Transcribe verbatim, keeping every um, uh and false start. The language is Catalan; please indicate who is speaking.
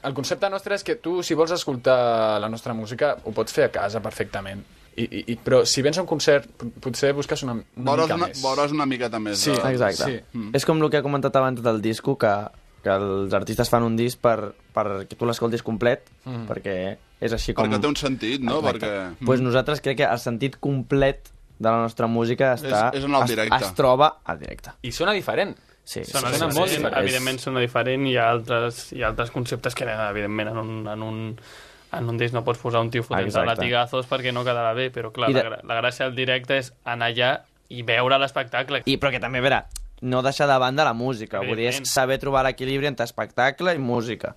Speaker 1: el concepte nostre és que tu, si vols escoltar la nostra música, ho pots fer a casa perfectament. I, i, i, però si vens a un concert, potser busques una, una
Speaker 2: veuràs
Speaker 1: mica
Speaker 2: una,
Speaker 1: més.
Speaker 2: Veuràs una miqueta més.
Speaker 1: Sí,
Speaker 2: de...
Speaker 3: exacte.
Speaker 1: Sí.
Speaker 3: Mm. És com el que ha comentat abans del disco, que, que els artistes fan un disc per, per que tu l'escoltis complet, mm. perquè és així com...
Speaker 2: Perquè té un sentit, no?
Speaker 3: Exacte.
Speaker 2: Perquè...
Speaker 3: Pues nosaltres crec que el sentit complet de la nostra música està,
Speaker 2: és, és en el directe.
Speaker 3: es, es troba al directe.
Speaker 1: I sona diferent.
Speaker 3: Sí,
Speaker 4: Sona,
Speaker 1: sona
Speaker 4: diferent,
Speaker 1: molt diferent.
Speaker 4: evidentment sona diferent, hi ha altres, hi ha altres conceptes que evidentment en un, en un, en un disc no pots posar un tio fotent-se latigazos perquè no quedarà bé, però clar, de... la, la gràcia del directe és anar allà i veure l'espectacle.
Speaker 3: I però que també, a veure, no deixar de banda la música, vull dir, és saber trobar l'equilibri entre espectacle i música.